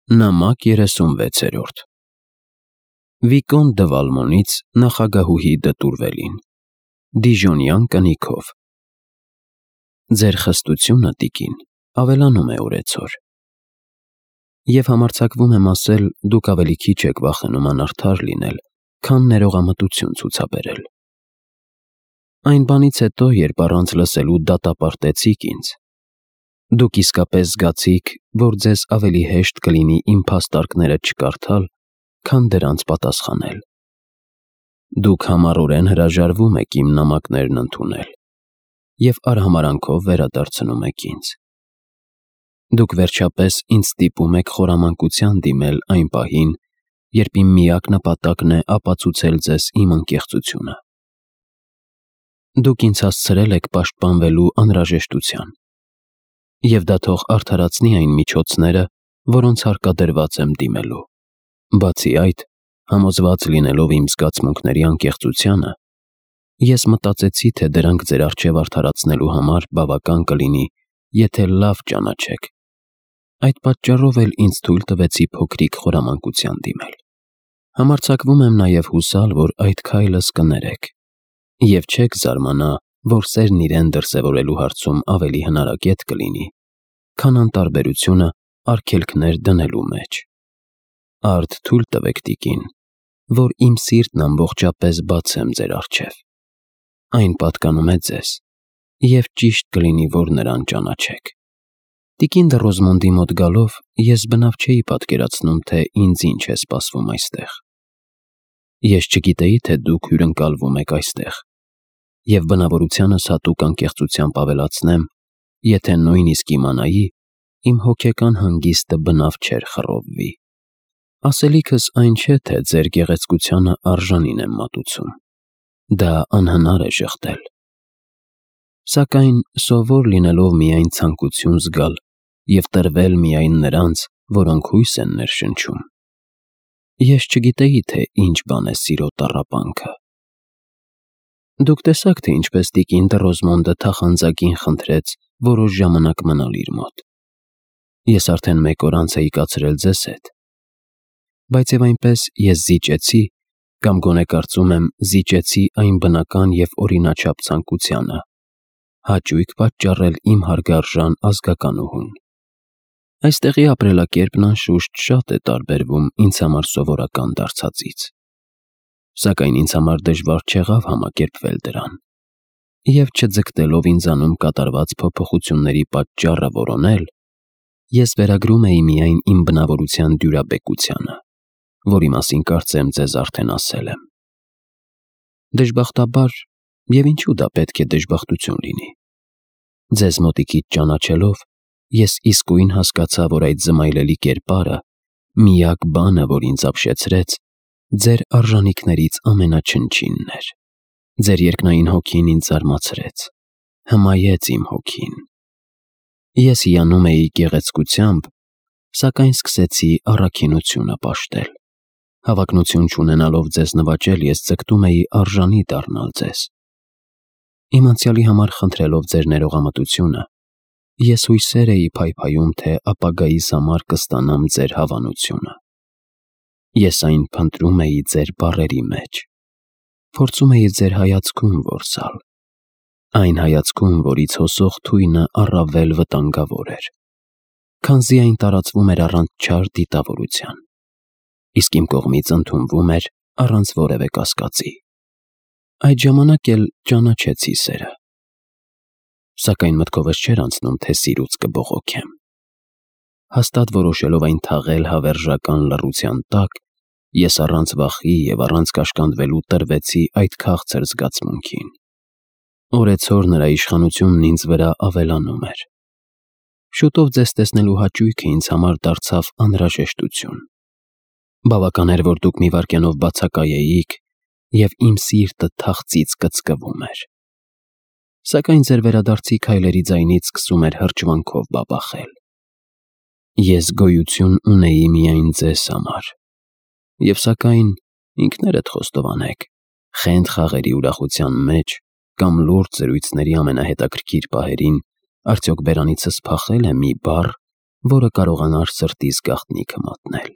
Նամակ 36-րդ Վիկոն դը Վալմոնից նախագահուհի դտուրվելին Դիժոնյան կնիքով Ձեր խստությունը, տիկին, ավելանում է օրեցօր Եվ համարձակվում եմ ասել, դուք ավելի քիչ եք վախենում անարդար լինել, քան ներողամտություն ցուցաբերել Այն բանից հետո, երբ առանց լսելու դատապարտեցիք ինձ Դուք իսկապես զգացիք, որ ձեզ ավելի հեշտ կլինի իմ փաստարկները չկարդալ, քան դրանց պատասխանել Դուք համառորեն հրաժարվում եք իմ նամակներն ընդունել և արհամարհանքով վերադարձնում եք ինձ Դուք վերջապես ինձ ստիպում եք խորամանկության դիմել այն պահին, երբ իմ միակ նպատակն է ապացուցել ձեզ իմ անկեղծությունը Դուք ինձ հասցրել եք պաշտպանվելու անհրաժեշտության Եվ դա թող արդարացնի այն միջոցները, որոնց հարկադրված եմ դիմելու Բացի այդ, համոզված լինելով իմ զգացմունքների անկեղծությանը, ես մտածեցի, թե դրանք ձեր առջև արդարացնելու համար բավական կլինի, եթե լավ ճանաչեք Այդ պատճառով էլ ինձ թույլ տվեցի փոքրիկ խորամանկության դիմել Համարձակվում եմ նաև հուսալ, որ այդ քայլս կներեք Եվ չեք զարմանա, որ սերն իրեն դրսևորելու հարցում ավելի հնարակետ կլինի, քան անտարբերությունը արգելքներ դնելու մեջ Արդ թույլ տվեք, տիկին, որ իմ սիրտն ամբողջապես բացեմ ձեր առջև Այն պատկանում է ձեզ, և ճիշտ կլինի, որ նրան ճանաչեք Տիկին դը Ռոզմոնդի մոտ գալով, ես բնավ չէի պատկերացնում, թե ինձ ինչ է սպասվում այստեղ Ես չգիտեի, թե դուք հյուրընկալվում եք այստեղ և բնավորությանս հատուկ անկեղծությամբ ավելացնեմ, եթե նույնիսկ իմանայի, իմ հոգեկան հանգիստը բնավ չէր խռովվի Ասելիքս այն չէ, թե ձեր գեղեցկությանը արժանին եմ մատուցում Դա անհնար է ժխտել Սակայն սովոր լինելով միայն ցանկություն զգալ և տրվել միայն նրանց, որոնք հույս են ներշնչում Ես չգիտեի, թե ինչ բան է սիրո տառապանքը Դուք տեսաք, թե ինչպես տիկին դը Ռոզմոնդը թախանձագին խնդրեց որոշ ժամանակ մնալ իր մոտ Ես արդեն մեկ օր անց էի կացրել ձեզ հետ Բայց և այնպես ես զիջեցի, կամ գոնե կարծում եմ զիջեցի այն բնական և օրինաչափ ցանկությանը, հաճույք պատճառել իմ հարգարժան ազգականուհուն Այստեղի ապրելակերպն անշուշտ շատ է տարբերվում ինձ համար սովորական դարձածից Սակայն ինձ համար դժվար չեղավ համակերպվել դրան և չձգտելով ինձանում կատարված փոփոխությունների պատճառը որոնել, ես վերագրում էի միայն իմ բնավորության դյուրաբեկությանը, որի մասին կարծեմ ձեզ արդեն ասել եմ Դժբախտաբար, և ինչու դա պետք է դժբախտություն լինի, ձեզ մոտիկից ճանաչելով, ես իսկույն հասկացա, որ այդ զմայլելի կերպարը, միակ բանը, որ ինձ ապշեցրեց, ձեր արժանիքներից ամենաչնչինն էր Ձեր երկնային հոգին ինձ զարմացրեց, հմայեց իմ հոգին Ես հիանում էի գեղեցկությամբ, սակայն սկսեցի առաքինությունը պաշտել Հավակնություն չունենալով ձեզ նվաճել, ես ձգտում էի արժանի դառնալ ձեզ Իմ անցյալի համար խնդրելով ձեր ներողամտությունը, ես հույսեր էի փայփայում, թե ապագայիս համար կստանամ ձեր հավանությունը Ես այն փնտրում էի ձեր բառերի մեջ Փորձում էի ձեր հայացքում որսալ Այն հայացքում, որից հոսող թույնը առավել վտանգավոր էր Քանզի այն տարածվում էր առանց չար դիտավորության Իսկ իմ կողմից ընդունվում էր առանց որևէ կասկածի Այդ ժամանակ էլ ճանաչեցի սերը Սակայն մտքովս չէր անցնում, թե սիրուց կբողոքեմ Հաստատ որոշելով այն թաղել հավերժական լռության տակ, ես առանց վախի և առանց կաշկանդվելու տրվեցի այդ քաղցր զգացմունքին Օրեցօր նրա իշխանությունն ինձ վրա ավելանում էր Շուտով ձեզ տեսնելու հաճույքը ինձ համար դարձավ անհրաժեշտություն Բավական էր, որ դուք մի վայրկյանով բացակայեիք, և իմ սիրտը թախծից կծկվում էր Սակայն ձեր վերադարձի քայլերի ձայնից սկսում էր հրճվանքով բաբախել Ես գոյություն ունեի միայն ձեզ համար Եվ սակայն, ինքներդ խոստովանեք, խենթ խաղերի ուրախության մեջ կամ լուրջ զրույցների ամենահետաքրքիր պահերին արդյոք բերանիցս փախել է մի բառ, որը կարողանար սրտիս գաղտնիքը մատնել։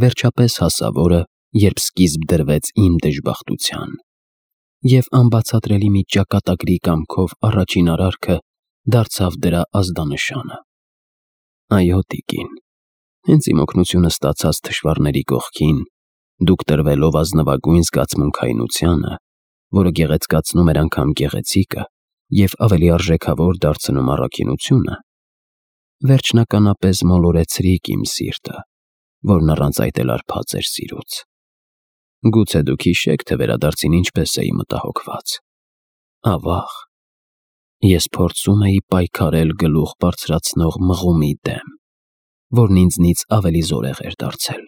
Վերջապես հասավ օրը, երբ սկիզբ դրվեց իմ դժբախտության, և անբացատրելի մի ճակատագրի կամքով առաջին արարքը դարձավ դրա ազդանշանը։ Այո, տիկին, հենց իմ օգնությունը ստացած թշվառների կողքին, դուք տրվելով ազնվագույն զգացմունքայնությանը, որը գեղեցկացնում էր անգամ գեղեցիկը և ավելի արժեքավոր դարձնում առաքինությունը, վերջնականապես մոլորեցրիք իմ սիրտը, որն առանց այդ էլ արբած էր սիրուց։ Գուցե դուք հիշեք, թե վերադարձին ինչպես էի մտահոգված։ Ավաղ, ես փորձում էի պայքարել գլուխ բարձրացնող մղումի դեմ, որն ինձնից ավելի զորեղ էր դարձել։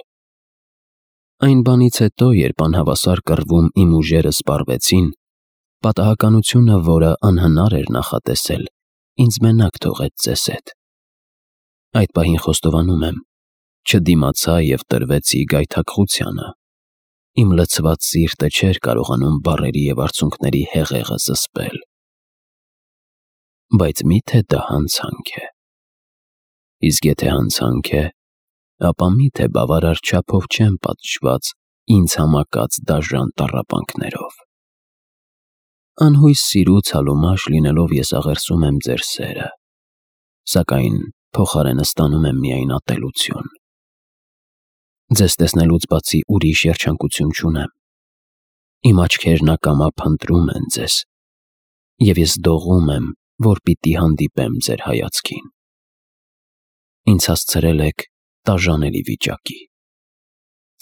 Այն բանից հետո, երբ անհավասար կռվում իմ ուժերը սպառվեցին, պատահականությունը, որը անհնար էր նախատեսել, ինձ մենակ թողեց ձեզ հետ։ Այդ պահին խոստովանում եմ, չդիմացա և տրվեցի գայթակղությանը։ Իմ լցված սիրտը չէր կարողանում բառերի և արցունքների հեղեղը զսպել։ Բայց մի՞թե դա հանցանք է։ Իսկ եթե հանցանք է, ապա մի՞թե բավարար չափով չեմ պատժված ինձ համակած դաժան տառապանքներով։ Անհույս սիրուց հալումաշ լինելով ես աղերսում եմ ձեր սերը, սակայն փոխարենը ստանում եմ միայն ատելություն։ Ձեզ տեսնելուց բացի ուրիշ երջանկություն չունեմ։ Իմ աչքերն ակամա փնտրում են ձեզ, և ես դողում եմ, որ պիտի հանդիպեմ ձեր հայացքին։ Ինձ հասցրել եք տաժանելի վիճակի։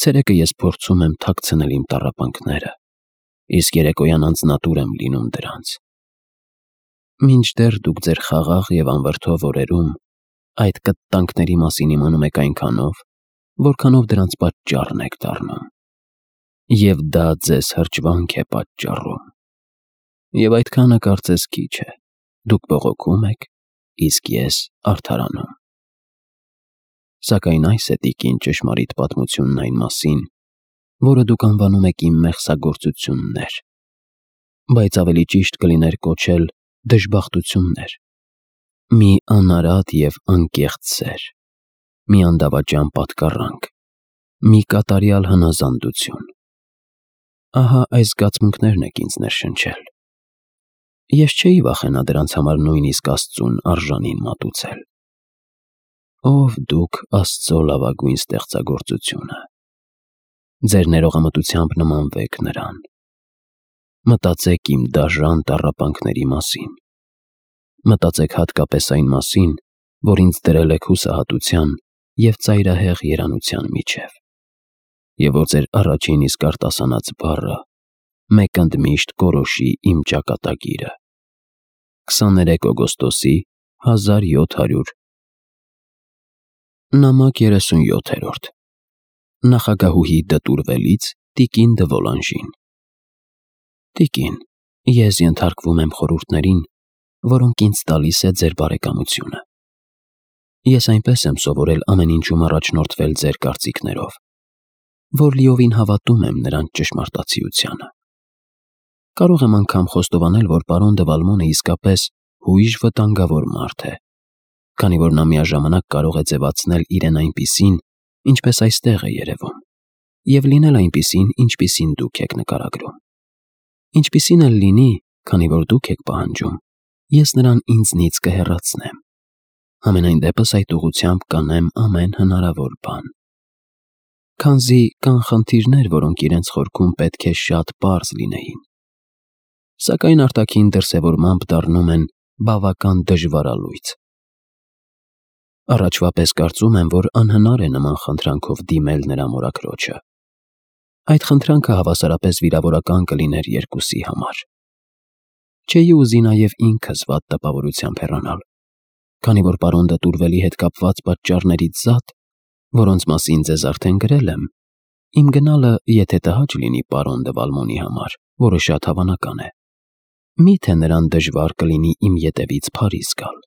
Ցերեկը ես փորձում եմ թաքցնել իմ տառապանքները, իսկ երեկոյան անձնատուր եմ լինում դրանց։ Մինչդեռ դուք ձեր խաղաղ և անվրդով օրերում այդ կտտանքների մասին իմանում եք այնքանով, որքանով դրանց պատճառն եք դառնում, և դա ձեզ հրճվանք է պատճառում, և այդքանը կարծես քիչ է, դուք բողոքում եք, իսկ ես արդարանում։ Սակայն այս է, տիկին, ճշմարիտ պատմությունն այն մասին, որը դուք անվանում եք իմ մեղսագործություններ, բայց ավելի ճիշտ կլիներ կոչել դժբախտություններ, մի անարատ և անկեղծ սեր, մի անդավաճան պատկառանք, մի կատարյալ հնազանդություն։ Ահա այս զգացմունքներն եք ինձ ներշնչել։ Ես չէի վախենա դրանց համար նույնիսկ Աստծուն արժանին մատուցել։ Ով դուք, Աստծո լավագույն ստեղծագործությունը։ Ձեր ներողամտությամբ նմանվեք նրան։ Մտածեք իմ դաժան տառապանքների մասին։ Մտածեք հատկապես այն մասին, որ ինձ դրել եք հուսահատության և ծայրահեղ երանության միջև, և որ ձեր առաջին իսկ արտասանած բառը մեկ ընդմիշտ կորոշի իմ ճակատագիրը։ 23 օգոստոսի 1700 նամակ 37 Նախագահուհի դտուրվելից տիկին դը Վոլանժին։ Տիկին, ես ենթարկվում եմ խորհուրդներին, որոնք ինձ տալիս է ձեր բարեկամությունը։ Ես այնպես եմ սովորել ամեն ինչում առաջնորդվել ձեր կարծիքներով, որ լիովին հավատում եմ նրանց ճշմարտացիությանը։ Կարող եմ անգամ խոստովանել, որ պարոն դը Վալմոնը իսկապես հույժ վտանգավոր մարդ է, քանի որ նա միաժամանակ կարող է ձևացնել իրեն այնպիսին, ինչպես այստեղ է երևում, և լինել այնպիսին, ինչպիսին դուք եք նկարագրում։ Ինչպիսին էլ լինի, քանի որ դուք եք պահանջում, ես նրան ինձնից կհեռացնեմ։ Համենայն դեպս այդ ուղղությամբ կանեմ ամեն հնարավոր բան։ Քանզի կան խնդիրներ, որոնք իրենց խորքում պետք է շատ պարզ լինեին, սակայն արտաքին դրսևորմամբ դառնում են բավական դժվարալույծ։ Առաջվա պես կարծում եմ, որ անհնար է նման խնդրանքով դիմել նրա մորաքրոջը։ Այդ խնդրանքը հավասարապես վիրավորական կլիներ երկուսի համար։ Չէի ուզի նաև ինքս վատ տպավորությամբ հեռանալ, քանի որ պարոն դտուրվելի հետ կապված պատճառներից զատ, որոնց մասին ձեզ արդեն գրել եմ, իմ գնալը, եթե տհաճ լինի պարոն դը Վալմոնի համար, որը շատ հավանական է, միթե նրան դժվար կլինի իմ ետևից Փարիզ գալ։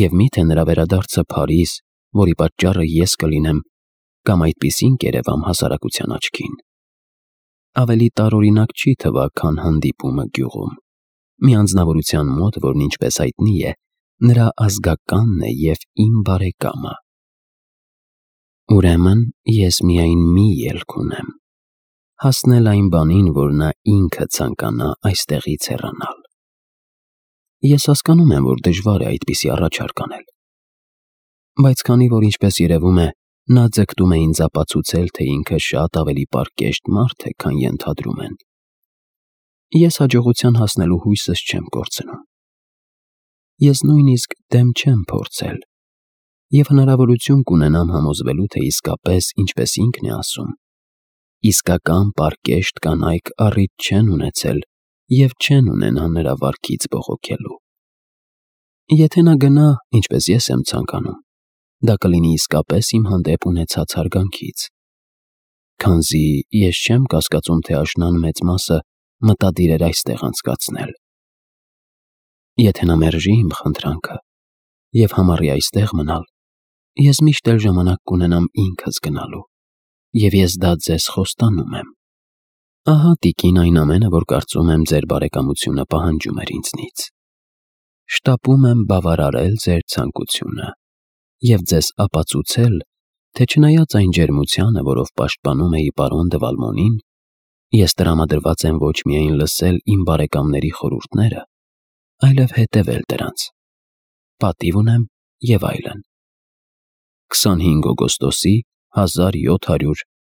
Եվ միթե նրա վերադարձը Փարիզ, որի պատճառը ես կլինեմ, կամ այդպիսին կերևամ հասարակության աչքին, ավելի տարօրինակ չի թվա, քան հանդիպումը գյուղում, մի անձնավորության մոտ, որն ինչպես հայտնի է, նրա ազգականն է և իմ բարեկամը։ Ուրեմն ես միայն մի ելք ունեմ. հասնել այն բանին, որ նա ինքը ցանկանա այստեղից հեռանալ։ Ես հասկանում եմ, որ դժվար է այդպիսի առաջարկ անել, բայց քանի որ ինչպես երևում է, նա ձգտում է ինձ ապացուցել, թե ինքը շատ ավելի պարկեշտ մարդ է, քան ենթադրում են, ես հաջողության հասնելու հույսս չեմ կորցնում։ Ես նույնիսկ դեմ չեմ փորձել և հնարավորություն կունենամ համոզվելու, թե իսկապես, ինչպես ինքն է ասում, իսկական պարկեշտ կանայք առիթ չեն ունեցել և չեն ունենա նրա վարքից բողոքելու։ Եթե նա գնա, ինչպես ես եմ ցանկանում, դա կլինի իսկապես իմ հանդեպ ունեցած հարգանքից, քանզի ես չեմ կասկածում, թե աշնան մեծ մասը մտադիր էր այստեղ անցկացնել։ Եթե նա մերժի իմ խնդրանքը և համառի այստեղ մնալ, ես միշտ էլ ժամանակ կունենամ ինքս գնալու, և ես դա ձեզ խոստանում եմ։ Ահա տիկին այն ամենը, որ կարծում եմ ձեր բարեկամությունը պահանջում էր ինձնից։ Շտապում եմ բավարարել ձեր ցանկությունը և ձեզ ապացուցել, թե չնայած այն ջերմությանը, որով պաշտպանում էի պարոն դը Վալմոնին, ես տրամադրված եմ ոչ միայն լսել իմ բարեկամների խորհուրդները, այլև հետևել դրանց։ Պատիվ ունեմ և այլն։ 25 օգոստոսի 1700